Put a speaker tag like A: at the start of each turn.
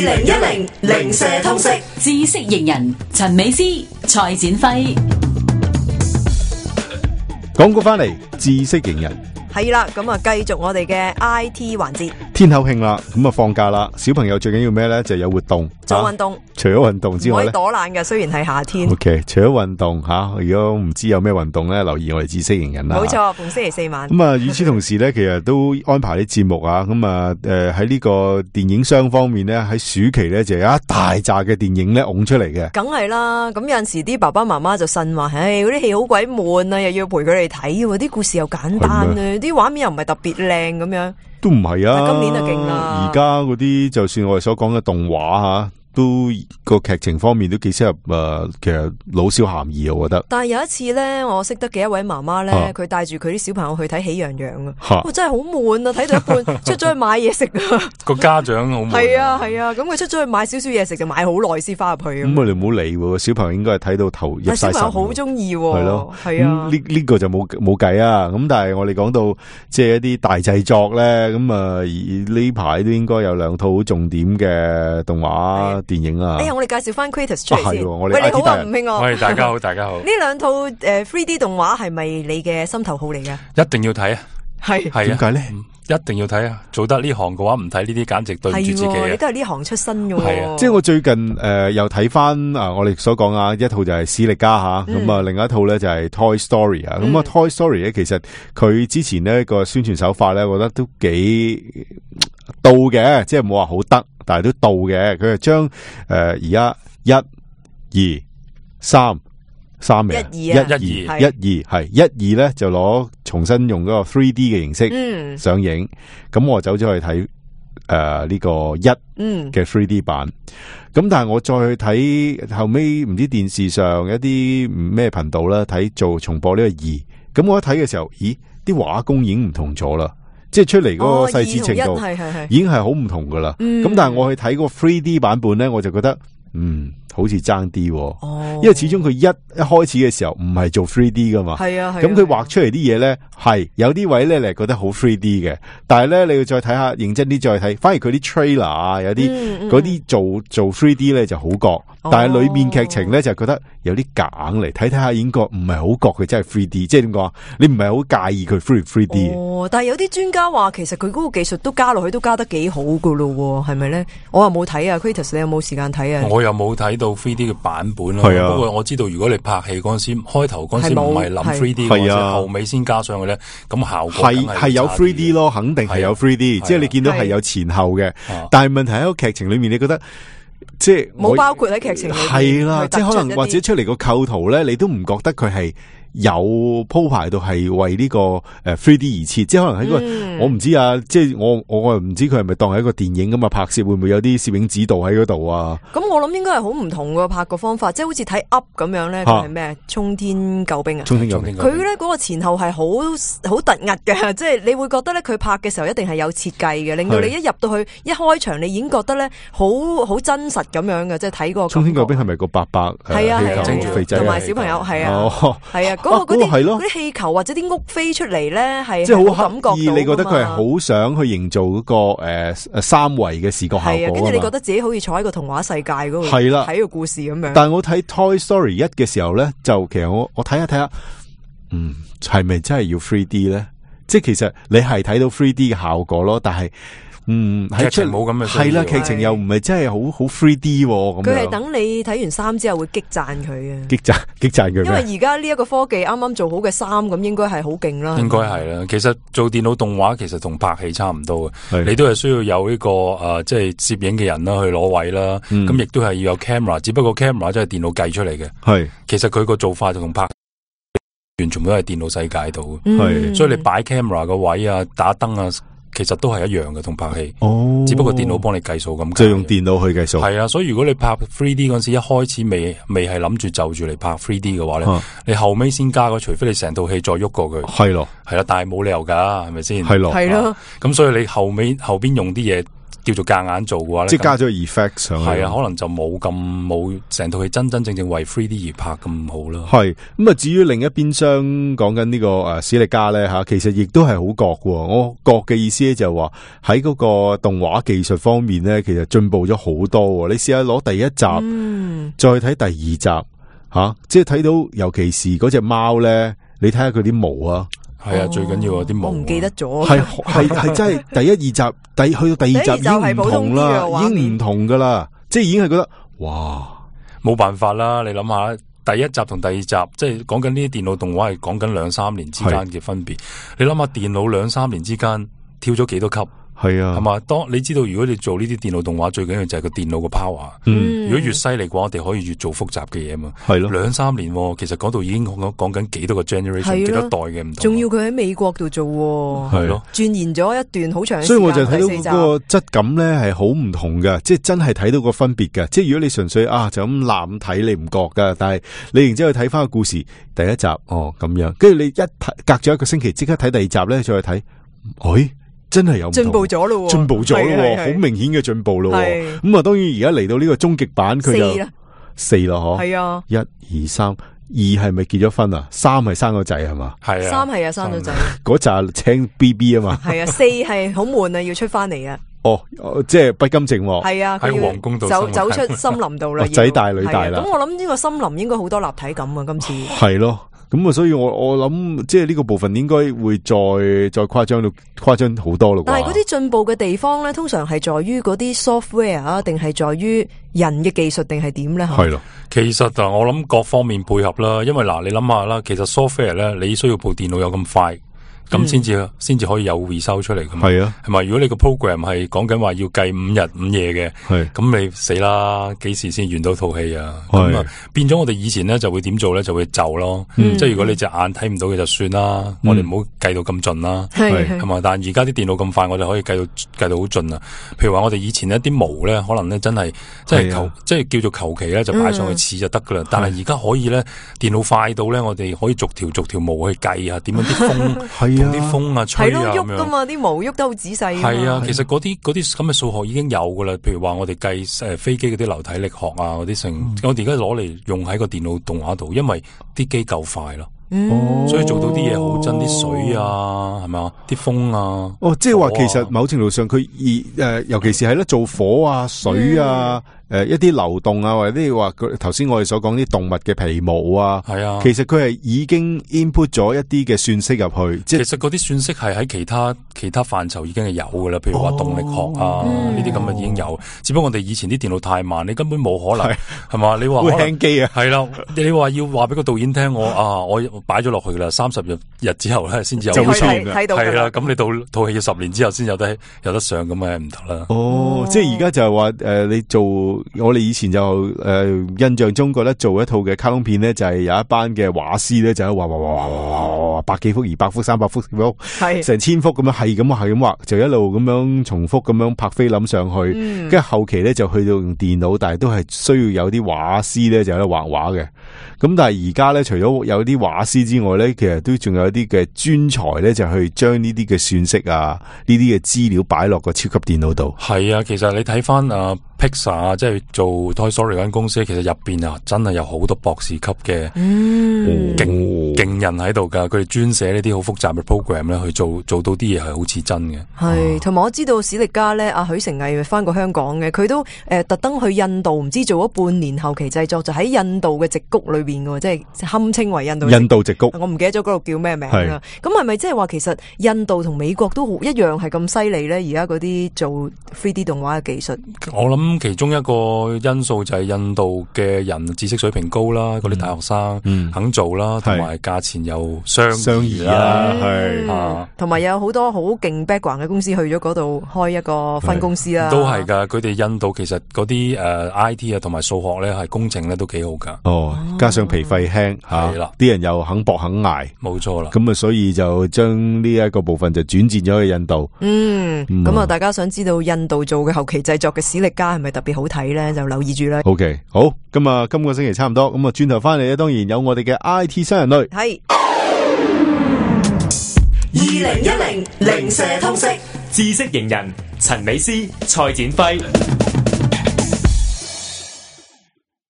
A: 2010零舍通識
B: 知識型人陳美詩、蔡展輝。
C: 講過翻嚟，知識型人
A: 係啦，咁啊繼續我哋嘅 IT 環節。
C: 天口慶啦，咁啊放假啦，小朋友最緊要咩咧？就係有活動，
A: 做運動。
C: 除咗運動之外咧，
A: 唔可以躲懶嘅，雖然係夏天。
C: OK， 除咗運動吓，如果唔知有咩運動咧，留意我哋知識型人啦。
A: 冇錯，逢星期四晚。
C: 咁啊，與此同時咧，其實都安排啲節目啊。咁啊，喺呢個電影商方面咧，喺暑期咧就有一大扎嘅電影咧拱出嚟嘅。
A: 梗係啦，咁有陣時啲爸爸媽媽就呻話，唉，嗰啲戲好鬼悶啊，又要陪佢哋睇，啲故事又簡單啊，啲畫面又唔係特別靚咁樣。
C: 都唔係啊，
A: 今年就勁啦。
C: 而家嗰啲就算我哋所講嘅動畫吓，都個劇情方面都幾適合其實老少咸宜，我覺得。
A: 但係有一次咧，我識得嘅一位媽媽咧，佢帶住佢啲小朋友去睇《喜羊羊》啊，真係好悶啊！睇到一半出咗去買嘢食啊，
D: 個家長好悶。
A: 係啊，咁佢出咗去買少少嘢食就買好耐先翻入去。
C: 咁我哋唔好理喎，小朋友應該係睇到頭入晒神。小朋友
A: 好中意，
C: 係咯，
A: 係啊。
C: 呢個就冇計啊。咁但係我哋講到即係一啲大製作咧，咁呢排都應該有兩套好重點嘅動畫電影啊。
A: 我哋介紹翻 Kratos 出嚟先。
C: 喂，
A: 你好啊，吳興樂。
D: 喂，大家好，大家好。
A: 呢兩套3D 動畫係咪你嘅心頭好嚟噶？
D: 一定要睇啊！
A: 係
C: 點解咧？
D: 一定要睇啊！做得呢行嘅話，唔睇呢啲簡直對唔住自己啊！
A: 你都係呢行出身嘅。
D: 係啊，
C: 即係我最近又睇翻我哋所講啊，一套就係史力加吓，咁啊另一套咧就係 Toy Story 啊。咁啊 Toy Story 咧，其實佢之前呢個宣傳手法咧，我覺得都幾到嘅，即係冇話好得，但係都到嘅。佢係將而家1、2、3名1、2咧就攞重新用嗰個 3D 嘅形式上映，咁我走咗去睇呢個1嘅 3D 版，咁但係我再去睇後尾唔知電視上一啲咩頻道啦，睇做重播呢個2，咁我一睇嘅時候，咦，啲畫工已經唔同咗啦，即係出嚟嗰個細緻程度已經係好唔同噶啦，咁但係我去睇個 3D 版本咧，我就覺得好似爭啲，因為始終佢一開始嘅時候唔係做 3D 噶嘛，咁佢畫出嚟啲嘢咧係有啲位咧你係覺得好 3D 嘅，但係咧你要再睇下認真啲再睇，反而佢啲 trailer 啊有啲嗰啲做 3D 咧就好覺，但係裏面劇情咧就覺得有啲假嚟，睇睇下已經覺唔係好覺佢真係 3D， 即係點講？你唔係好介意佢 3D。
A: 但係有啲專家話其實佢嗰個技術都加落去都加得幾好噶咯，係咪咧？我又冇睇啊 Kratos 你有冇時間睇啊？
D: 我又冇睇到 3D 嘅版本咯，不過我知道如果你拍戲嗰陣時，開頭嗰陣時唔係諗 3D 嗰陣時，後尾先加上去咧，咁效果
C: 係有 3D 咯，肯定係有 3D，即係你見到係有前後嘅，但係問題喺個劇情裏面，你覺得即係
A: 冇包括喺劇情裏面，
C: 係啦，即係可能或者出嚟個構圖咧，你都唔覺得佢係有鋪排到係為呢個3D 而設，即係可能喺個我唔知啊，即係我又唔知佢係咪當係一個電影咁啊拍攝，會唔會有啲攝影指導喺嗰度啊？
A: 咁我諗應該係好唔同嘅拍個方法，即係好似睇 Up 咁樣咧，佢係咩？衝天救兵啊！
C: 衝天救兵，
A: 佢咧嗰個前後係好突兀嘅，即係你會覺得咧佢拍嘅時候一定係有設計嘅，令到你一入到去一開場，你已經覺得咧好真實咁樣嘅，即係睇個
C: 衝天救兵係咪個伯伯？
A: 係啊，
C: 整住肥仔
A: 同埋小朋友係啊，係啊，嗰啲氣球或者啲屋飛出嚟咧，係
C: 即係好
A: 感覺到。
C: 你覺得佢係好想去營造嗰個三維嘅視覺效果，
A: 跟住你覺得自己好似坐喺個童話世界嗰度，
C: 係啦，
A: 睇個故事咁樣。
C: 但係我睇 Toy Story 1嘅時候咧，就其實我睇下，係咪真係要 3D 咧？即係其實你係睇到 3D 嘅效果咯，但係
D: 劇情冇咁嘅需要，
C: 係啦，劇情又唔係真係好 3D 咁樣。佢
A: 係等你睇完3之後會激讚佢嘅，
C: 激讚佢。
A: 因為而家呢一個科技啱啱做好嘅3，咁應該係好勁啦。
D: 應該係啦。其實做電腦動畫其實同拍戲差唔多嘅，你都係需要有呢個即係攝影嘅人啦去攞位啦。咁亦都係要有 camera， 只不過 camera 真係電腦計出嚟嘅。係，其實佢個做法就同拍完全都係電腦世界度。係，所以你擺 camera 個位啊，打燈啊。其實都係一樣嘅，同拍戲，只不過電腦幫你計數咁，
C: 就用電腦去計數。
D: 係啊，所以如果你拍 3D 嗰陣時，一開始未係諗住就住嚟拍 3D 嘅話咧，你後尾先加嘅，除非你成套戲再喐過佢。係咯，係啦，但係冇理由噶，係咪先？係咯，係咯。咁所以你後邊用啲嘢叫做夾硬做嘅話咧，
C: 即係加咗 effect 上去，
D: 係啊，可能就冇成套戲真真正正為 3D 而拍咁好啦。
C: 係咁啊，至於另一邊廂講緊呢個史力加咧吓，其實亦都係好覺嘅。我覺嘅意思咧就係話喺嗰個動畫技術方面咧，其實進步咗好多。你試下攞第一集，再睇第二集吓，即係睇到尤其是嗰隻貓咧，你睇下佢啲毛啊。
D: 係啊，最緊要啲毛。
A: 我唔記得咗。
C: 係真係第一二集，去到第二集已經唔同啦，已經唔同噶啦，即係已經係覺得哇，
D: 冇辦法啦。你諗下，第一集同第二集，即係講緊呢啲電腦動畫係講緊2-3年之間嘅分別。你諗下，電腦2-3年之間跳咗幾多級？
C: 係啊，
D: 係嘛？當你知道如果你做呢啲電腦動畫，最緊要就係個電腦個 power。如果越犀利嘅話，我哋可以越做複雜嘅嘢嘛。係咯，2-3年，其實嗰度已經講緊幾多個 generation， 幾多代嘅唔同。
A: 仲要佢喺美國度做，
C: 係咯，
A: 鑽研咗一段好長時間。
C: 所以我就睇到嗰個質感咧係好唔同嘅，即係真係睇到個分別嘅。即係如果你純粹就咁濫睇，你唔覺噶，但係你然之後睇翻個故事第一集咁樣，跟住你隔咗一個星期即刻睇第二集咧，再去睇，真係有
A: 進步咗咯，
C: 進步咗咯，好明顯嘅進步咯。咁啊，當然而家嚟到呢個終極版，佢就4啦，嗬。係啊，1、2、3，2係咪結咗婚啊？3係生個仔係嘛？係啊，3係啊，生咗仔。嗰扎青 BB 啊嘛。係啊，4係好悶啊，要出翻嚟啊。即係不甘寂寞。係啊，喺皇宮度走出森林度啦。仔大女大啦。咁我諗呢個森林應該好多立體感啊，今次。係咯。咁啊，所以我諗即係呢個部分應該會再誇張好多咯。但係嗰啲進步嘅地方咧，通常係在於嗰啲 software 啊，定係在於人嘅技術，定係點咧？係咯，其實我諗各方面配合啦。因為你諗下啦，其實 software 咧，你需要部電腦有咁快。咁先至可以有回收出嚟噶嘛？係啊，係咪？如果你個 program 係講緊話要計5日5夜嘅，咁你死啦！幾時先完到套戲啊？咁啊，變咗我哋以前咧就會點做咧？就會就咯，即係如果你隻眼睇唔到嘅就算啦，我哋唔好計到咁盡啦，係嘛？但係而家啲電腦咁快，我哋可以計到好盡啊！譬如話我哋以前一啲毛咧，可能咧真係即係叫做求其咧就擺上去似就得噶啦。但係而家可以咧，電腦快到咧，我哋可以逐條毛去計啊，點樣啲風。同啲風啊吹啊咁樣，係咯，喐噶嘛，啲毛喐得好仔細。係啊，其實嗰啲咁嘅數學已經有噶啦。譬如話我哋計飛機嗰啲流體力學啊，嗰啲成，我哋而家攞嚟用喺個電腦動畫度，因為啲機夠快咯。所以做到啲嘢好真，啲水啊，係咪啊？啲風啊，即係話其實某程度上佢尤其是係咧做火啊、水啊。一啲流動啊，或者啲話頭先我哋所講啲動物嘅皮毛啊，係啊，其實佢係已經 input 咗一啲嘅算式入去，即係其實嗰啲算式係喺其他範疇已經係有噶啦，譬如話動力學啊呢啲咁嘅已經有，只不過我哋以前啲電腦太慢，你根本冇可能係嘛？你話會輕機啊？係啦，你話要話俾個導演聽，我擺咗落去噶啦，30日之後咧先至有出現嘅，係啦，咁你到套戲要10年之後先有得上，咁咪唔得啦。即係而家就係話你做。我哋以前就印象中覺得做一套嘅卡通片咧，就係有一班嘅畫師咧，就喺畫100幾幅、200幅、300幅成1000幅咁樣，係咁畫，就一路咁樣重複咁樣拍菲林上去，跟住後期咧就去到用電腦，但係都係需要有啲畫師咧就喺度畫畫嘅。咁但係而家咧，除咗有啲畫師之外咧，其實都仲有一啲嘅專才咧，就去將呢啲嘅算式啊，呢啲嘅資料擺落個超級電腦度。係啊，其實你睇翻Pixar 啊，即係做 Toy Story 嗰間公司，其實入邊啊，真係有好多博士級嘅勁人喺度噶，佢哋專寫呢啲好複雜嘅 program 咧，去做到啲嘢係好似真嘅。係，同埋我知道史力加咧，阿許成毅翻過香港嘅，佢都特登去印度，唔知做咗半年後期製作，就喺印度嘅矽谷裏邊嘅，即係堪稱為印度矽谷。我唔記得咗嗰度叫咩名啦。咁係咪即係話其實印度同美國都一樣係咁犀利咧？而家嗰啲做 3D 動畫嘅技術，我諗。其中一個因素就係印度嘅人知識水平高啦，嗰啲大學生肯做啦，同埋價錢又相宜啦，係同埋有好多好勁 background 嘅公司去咗嗰度開一個分公司啦。都係噶，佢哋印度其實嗰啲IT 啊同埋數學咧係工程咧都幾好噶。加上皮費輕係啦，啲人又肯搏肯捱，冇錯啦。咁啊，所以就將呢一個部分就轉戰咗去印度。咁啊，大家想知道印度做嘅後期製作嘅史力加係咪特別好睇咧？就留意住啦。OK， 好，咁啊，今個星期差唔多，咁啊，轉頭翻嚟咧，當然有我哋嘅 IT 新人類。係2010零舍通識
E: 知識型人陳美斯、蔡展輝。